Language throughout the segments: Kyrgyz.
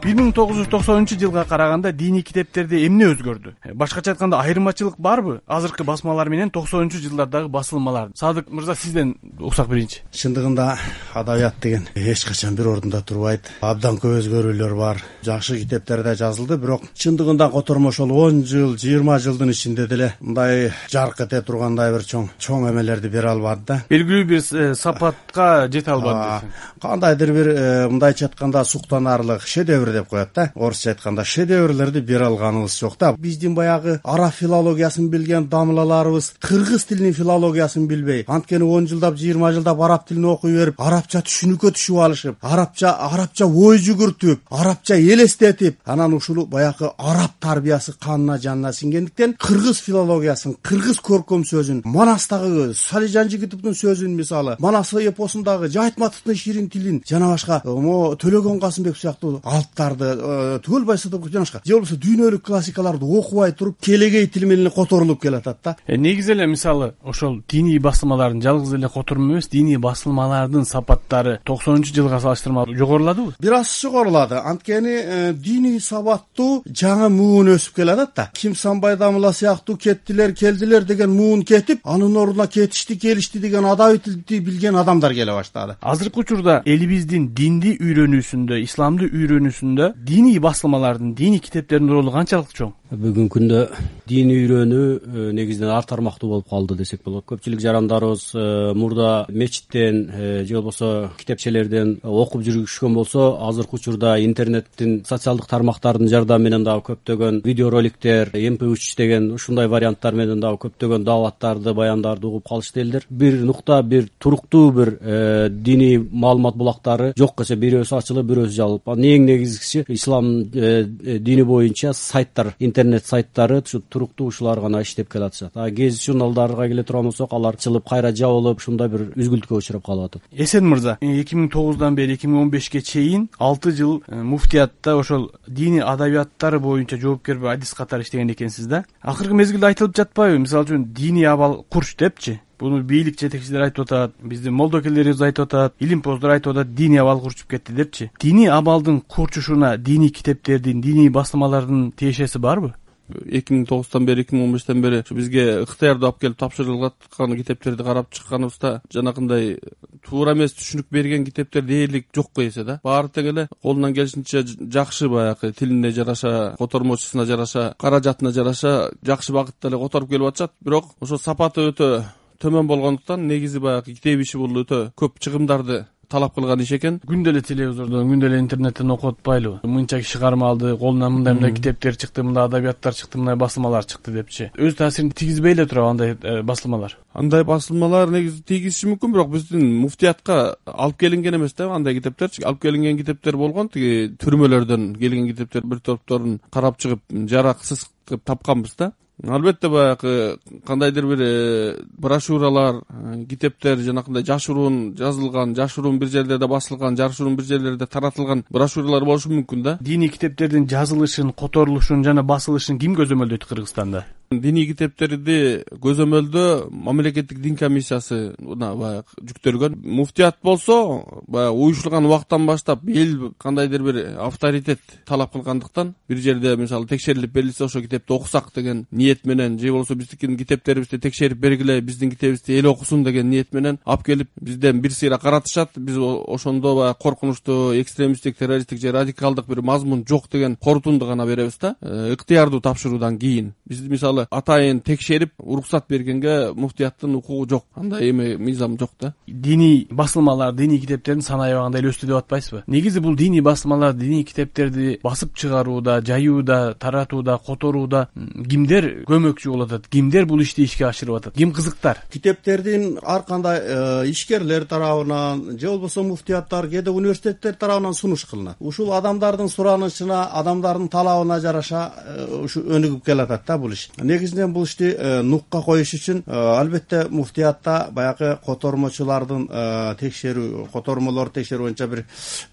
1990-жылга караганда диний китептерде эмне өзгөрдү? Башкача айтканда айырмачылык барбы азыркы басмалар менен 90-жылдардагы басылмалар? Садык мырза, сизден уксак берейинчи. Чындыгында адабият деген эч качан бир ордунда турбайт. Абдан көп өзгөрүүлөр бар. Жакшы китептерде жазылды, бирок чындыгында котормо ошол 10 жыл, 20 жылдын ичинде деле мындай жарк эте тургандай бир чоң эмелерди бере албады да. Белгилүү бир сапатка жете албады. Кандайдыр бир мындайча айтканда суктанарлык шедевр деп коет да. Орусча айтканда шедеврлерди бере алганыбыз жок да. Биздин баягы араб филологиясын билген дамлаларыбыз кыргыз тилинин филологиясын билбей, анткени 10 жылдап, 20 жылдап араб тилин окуй берип, арабча түшүнүккө түшүп алышып, арабча ой жүгүртүп, арабча элестетип, анан ушул баягы араб тарбиясы канына жанына сиңгендиктен кыргыз филологиясын, кыргыз көркөм сөзүн, Манастагы Сали Жанжигитовдун сөзүн, мисалы, Манас эпосундагы Жайтматовдун ширин тилин, жана башка Төлөгөн Касымбек сыяктуу алыптарды, Түгөл Байсадыков жана башка, же болбосо дүйнөлүк классикаларды окубай туруп, келегей тил менен которулуп келатат да. Негизи эле мисалы ошол диний басылмалардын жалгыз эле которму эмес, диний басылмалардын сапаттары 90-жылга салыштырмалуу жогоруладыбы? Бир аз жогорулады. Анткени диний сабаттуу жаңы муун өсүп келатат да. Ким Санбай Дамыла сыяктуу кеттилер, келдилер деген муун кетип, анын ордуна кетишти, келишти деген адабий тилди билген адамдар келе баштады. Азыркы учурда элибиздин динди үйрөнүүсүндө, исламды үйрөнүүсүндө диний басылмалардын, диний китептердин ролу канчалык чоң? Бүгүнкү күндө дин үйрөнүү негизинен ар тармактуу болуп калды десек болот. Көпчүлүк жарандарыбыз мурда мечиттен же болбосо китепчелерден окуп жүрүшкөн болсо, азыркы учурда интернеттин, социалдык тармактардын жардамы менен дагы көптөгөн видеороликтер, MP3 деген ушундай варианттар менен дагы көптөгөн дааваттарды, баяндарды угуп калышты элдер. Бир нукта, бир туруктуу бир диний маалымат булактары жок эсе бирөөсү ачылып, бирөөсү жабылып. Эң негизгиси ислам дини боюнча сайттар, интернет сайттары туруктуу ушулар гана иштеп келатышат. Гезит журналдарга келе турган болсок, алар чылып, кайра жабылып, ушундай бир үзгүлтүккө учурап калып атат. Эсен мырза, 2009 бери 2015 чейин 6 жыл муфтиятта ошол диний адабияттары боюнча жоопкер адис катары иштеген экенсиз да. Акыркы мезгилде айтылып жатпайбы? Мисалы үчүн диний абал курч депчи. Буну бийлик жетекчилери айтып атат, биздин молдокелерибиз айтып атат, илимпоздор айтып атат, диний абал курчуп кетти депчи. Диний абалдын курчушуна диний китептердин, диний басылмалардын тиешеси барбы? 2009 бери 2015 бери бизге ыктыярды алып келип тапшырылып аткан китептерди карап чыкканыбызда жанакындай туура эмес түшүнүк берген китептер дээрлик жокко эсе да. Баары тең эле колунан келишинче жакшы баягы тилине жараша, котормочусуна жараша, каражатына жараша жакшы багытта эле которуп келип атышат. Бирок ошо сапаты өтө төмөн болгондуктан негизи баягы китеп иши бул өтө көп чыгымдарды талап кылган иш экен. Күндө эле телевизордон, күндө эле интернеттен окуп атпайлыбы? Мынча киши кармалды, колунан мындай китептер чыкты, мындай адабияттар чыкты, мындай басылмалар чыкты депчи. Өз таасирин тийгизбей эле турабы андай басылмалар? Андай басылмалар негизи тийгизиши мүмкүн, бирок биздин муфтиятка алып келинген эмес да андай китептерчи. Алып келинген китептер болгон, тиги түрмөлөрдөн келген китептер бир топторун карап чыгып, жараксыз кылып тапканбыз да. Албетте баягы кандайдыр бир брошюралар, китептер жанакындай жашыруун жазылган, жашыруун бир жерлерде басылган, жашыруун бир жерлерде таратылган брошюралар болушу мүмкүн да. Диний китептердин жазылышын, которулушун жана басылышын ким көзөмөлдөйт Кыргызстанда? Диний китептерди көзөмөлдөө мамлекеттик дин комиссиясы баягы жүктөлгөн. Муфтият болсо баягы уюшулган убактан баштап эл кандайдыр бир авторитет талап кылгандыктан бир жерде мисалы текшерилип берилсе ошо китепти окусак деген ниет менен, же болбосо биздикин китептерибизди текшерип бергиле, биздин китебибизди эл окусун деген ниет менен алып келип бизден бир сыйра каратышат. Биз ошондо баягы коркунучтуу, экстремисттик, террористтик же радикалдык бир мазмун жок деген корутунду гана беребиз да. Ыктыярдуу тапшыруудан кийин биз мисалы атайын текшерип уруксат бергенге муфтияттын укугу жок, андай эме мыйзам жок да. Диний басылмалар, диний китептердин саны аябагында эле өстү деп атпайсызбы? Негизи бул диний басылмалар, диний китептерди басып чыгарууда, жаюуда, таратууда, которууда кимдер көмөкчү болуп атат? Кимдер бул ишти ишке ашырып атат? Ким кызыктар? Китептердин ар кандай ишкерлер тарабынан же болбосо муфтияттар, кээде университеттер тарабынан сунуш кылынат. Ушул адамдардын суранычына, адамдардын талабына жараша ушу өнүгүп келатат да бул иш. Негизинен бул ишти нукка коюш үчүн албетте муфтиятта баягы котормочулардын текшерүү, котормолор текшерүү боюнча бир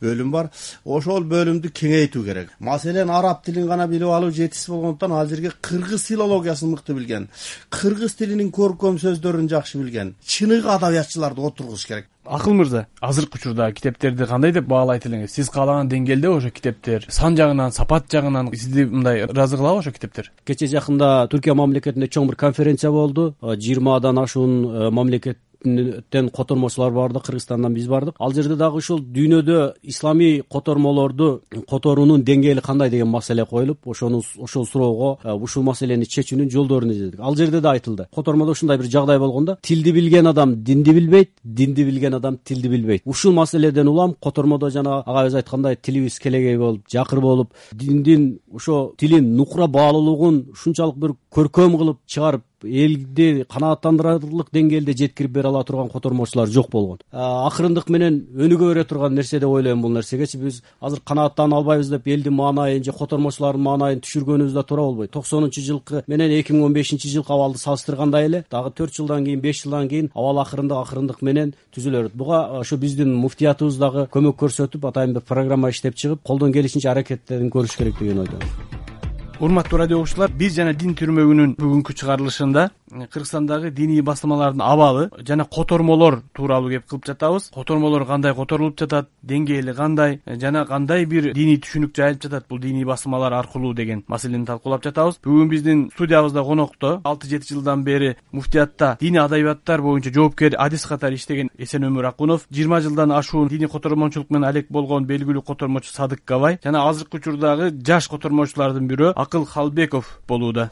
бөлүм бар. Ошол бөлүмдү кеңейтүү керек. Маселен араб тилин гана билип алуу жетишсиз болгондуктан ал жерге кыргыз филологиясын мыкты билген, кыргыз тилинин көркөм сөздөрүн жакшы билген, чыныгы адабиятчыларды отургуш керек. Акыл мырза, азыркы учурда китептерди кандай деп баалайт элеңиз? Сиз каалаган деңгээлде ошо китептер сан жагынан, сапат жагынан сизди мындай ыраазы кылабы ошо китептер? Кечээ жакында Түркия мамлекетинде чоң бир конференция болду. 20 ашуун мамлекеттен котормочулар барды, Кыргызстандан биз бардык. Ал жерде дагы ушул дүйнөдө исламий котормолорду которуунун деңгээли кандай деген маселе коюлуп, ошол суроого ушул маселени чечүүнүн жолдорун издедик. Ал жерде да айтылды. Котормодо ушундай бир жагдай болгондо, тилди билген адам динди билбейт, динди билген адам тилди билбейт. Ушул маселеден улам котормодо жана агайыбыз айткандай тилибиз келегей болуп, жакыр болуп, диндин ошо тилин нукура баалуулугун ушунчалык бир көркөм кылып чыгарып, элди канааттандырарлык деңгээлде жеткирип бере ала турган котормочулар жок болгон. Акырындык менен өнүгө бере турган нерсе деп ойлойм бул нерсегечи. Биз азыр канааттана албайбыз деп элдин маанайын же котормочулардын маанайын түшүргөнүбүз да туура болбойт. 90-жылкы менен 2015-жылкы абалды салыштырганда эле дагы 4 жылдан кийин, 5 жылдан кийин абал акырындык менен түзүлө берет. Буга ошо биздин муфтиятыбыз дагы көмөк көрсөтүп, атайын бир программа иштеп чыгып, колдон келишинче аракеттерин көрүш керек деген ойдомун. Урматтуу радио угуучулар, биз жана Дин түрмөгүнүн бүгүнкү чыгарылышында Кыргызстандагы диний басмалардын абалы жана котормолор тууралуу кеп кылып жатабыз. Котормолор кандай которулуп жатат, деңгээли кандай жана кандай бир диний түшүнүк жайылып жатат бул диний басмалар аркылуу деген маселени талкуулап жатабыз. Бүгүн биздин студиябызда конокто 6-7 жылдан бери муфтиятта диний адабияттар боюнча жоопкер адис катары иштеген Эсенөмүр Акунов, 20 жылдан ашуун диний котормочулук менен алек болгон белгилүү котормочу Садык Габай жана азыркы учурдагы жаш котормочулардын бирөө Акыл Халбеков болууда.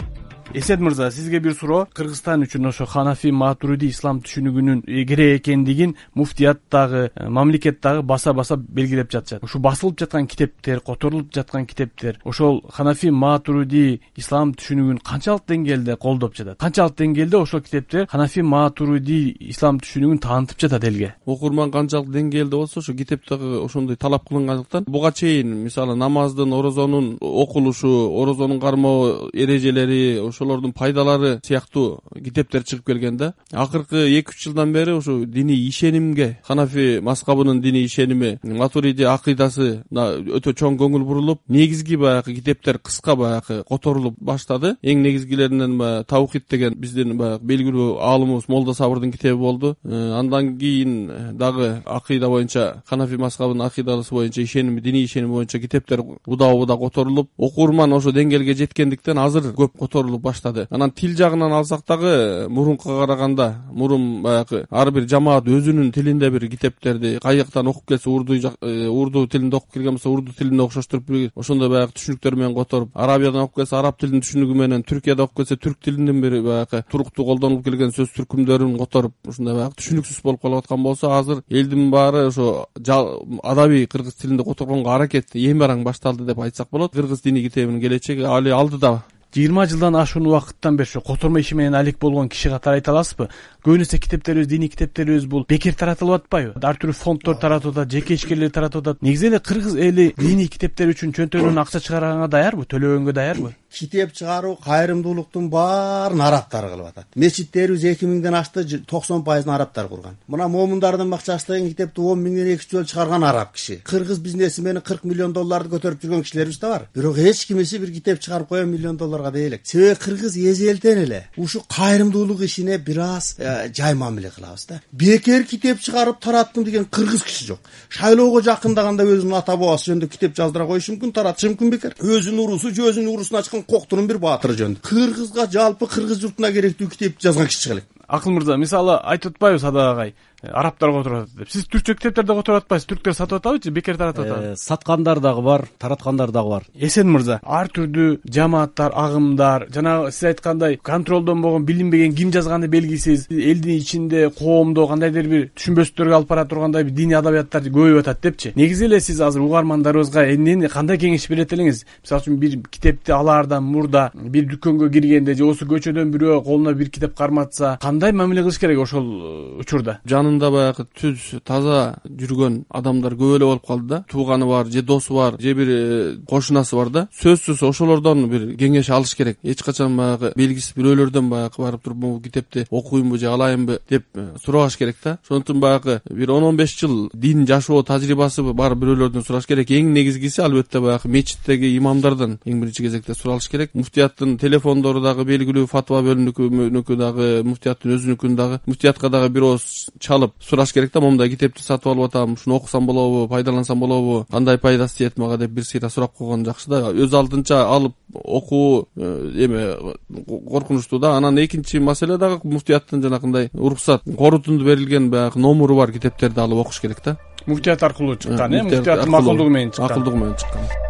Эсен мырза, сизге бир суроо. Кыргызстан үчүн ошо Ханафи Матуриди ислам түшүнүгүнүн керек экендигин муфтияттагы, мамлекеттагы баса белгилеп жатышат. Ушу басылып жаткан китептер, которулуп жаткан китептер ошол Ханафи Матуриди ислам түшүнүгүн канчалык деңгээлде колдоп жатат? Канчалык деңгээлде ошол китептер Ханафи Матуриди ислам түшүнүгүн таанытып жатат элге? Окурман канчалык деңгээлде болсо, ошо китептеги ошондой талап кылынгандыктан буга чейин мисалы намаздын, орозонун окулушу, орозонун кармоо эрежелери, ошолордун пайдалары сыяктуу китептер чыгып келген да. Акыркы 2-3 жылдан бери ошо диний ишенимге, Ханафи маскабынын диний ишеними, Матуриди акыйдасы өтө чоң көңүл бурулуп, негизги баягы китептер кыска баягы которулуп баштады. Эң негизгилеринен Таухид деген биздин баягы белгилүү аалымыбыз Молда Сабырдын китеби болду. Андан кийин дагы акыйда боюнча, Ханафи маскабынын акыйдасы боюнча ишеними, диний ишеними боюнча китептер удаа которулуп, окурман ошо деңгээлге жеткендиктен азыр көп которулуп баштады. Анан тил жагынан алсак дагы мурункуга караганда, мурун баягы ар бир жамаат өзүнүн тилинде бир китептерди каяктан окуп келсе, урду тилинде окуп келген болсо, урду тилинде окшоштуруп ошондой баягы түшүнүктөр менен которуп, арабиядан окуп келсе, араб тилинин түшүнүгү менен, Түркияда окуп келсе, түрк тилинин бир баягы туруктуу колдонулуп келген сөз түркүмдөрүн которуп, ушундай баягы түшүнүксүз болуп калып аткан болсо, азыр элдин баары ошо адабий кыргыз тилинде которгонго аракет эң бараң башталды деп айтсак болот. Кыргыз диний китебинин келечеги али алдыда. 20 жылдан ашуун убакыттан бери котормо иши менен алек болгон киши катары айта аласызбы? Көбүнесе китептерибиз, диний китептерибиз бул бекер таратылып атпайбы? Ар түрдүү фонддор таратып атат, жеке ишкерлер таратып атат. Негизи эле кыргыз эли диний китептер үчүн чөнтөгүнөн акча чыгарганга даярбы? Төлөгөнгө даярбы? Китеп чыгаруу, кайрымдуулуктун баарын арабтар кылып атат. Мечиттерибиз 2000ден ашты, 90% арабтар курган. Мына Момундардын бакчасы деген китепти 10 миңден 2 жол чыгарган араб киши. Кыргыз бизнесмени 40 миллион долларды көтөрүп жүргөн кишилерибиз да бар. Бирок эч кимиси бир китеп чыгарып коюп миллион долларга дей элек. Себеби кыргыз эзелтен эле ушу кайрымдуулук ишине бир аз жай мамиле кылабыз да. Бекер китеп чыгарып тараттым деген кыргыз киши жок. Шайлоого жакындаганда өзүнүн ата бабасы жөнүндө китеп жаздыра коюшу мүмкүн, таратышы мүмкүн бекер. Өзүнүн урусу же өзүнүн урусуна чыккан коктунун бир баатыры жөнүндө. Кыргызга жалпы кыргыз журтуна керектүү китепти жазган киши чыга элек. Акыл мырза, мисалы айтып атпайбы Садак агай, арабтар которуп атат деп. Сиз түркчө китептерди которуп атпайсыз, түрктөр сатып атабы же бекер таратып атабы? Саткандар дагы бар, тараткандар дагы бар. Эсен мырза, ар түрдүү жамааттар, агымдар, жана сиз айткандай контролдон болгон, билинбеген ким жазганы белгисиз, элдин ичинде, коомдо кандайдыр бир түшүнбөстүктөргө алып бара тургандай бир диний адабияттар көбөйүп атат депчи. Негизи эле сиз азыр угармандарыбызга эмнени кандай кеңеш берет элеңиз? Мисалы үчүн бир китепти алаардан мурда бир дүкөнгө киргенде же осы көчөдөн бирөө колуна бир китеп карматса, кандай мамиле кылыш керек ошол учурда? Жанында баягы түз таза жүргөн адамдар көп эле болуп калды да. Тууганы бар, же досу бар, же бир кошунасы бар да. Сөзсүз ошолордон бир кеңеш алыш керек. Эч качан баягы белгисиз бирөөлөрдөн баягы барып туруп бул китепти окуймбу же алайынбы деп сурабаш керек да. Ошондуктан баягы бир 10-15 жыл дин жашоо тажрыйбасы бар бирөөлөрдөн сураш керек. Эң негизгиси албетте баягы мечиттеги имамдардан эң биринчи кезекте суралыш керек. Муфтияттын телефондору дагы белгилүү, фатва бөлүмүнүкү дагы, муфтияттын өзүнүкүн дагы, муфтиятка дагы бир ооз чалып сураш керек да, момундай китепти сатып алып атам, ушуну окусам болобу, пайдалансам болобу, кандай пайдасы тиет мага деп бир сыйра сурап койгон жакшы да. Өз алдынча алып окуу эме коркунучтуу да. Анан экинчи маселе дагы муфтияттын жанагындай уруксат корутунду берилген баягы номуру бар китептерди алып окуш керек да. Муфтият аркылуу чыккан, муфтияттын макулдугу менен чыккан. Макулдугу менен чыккан.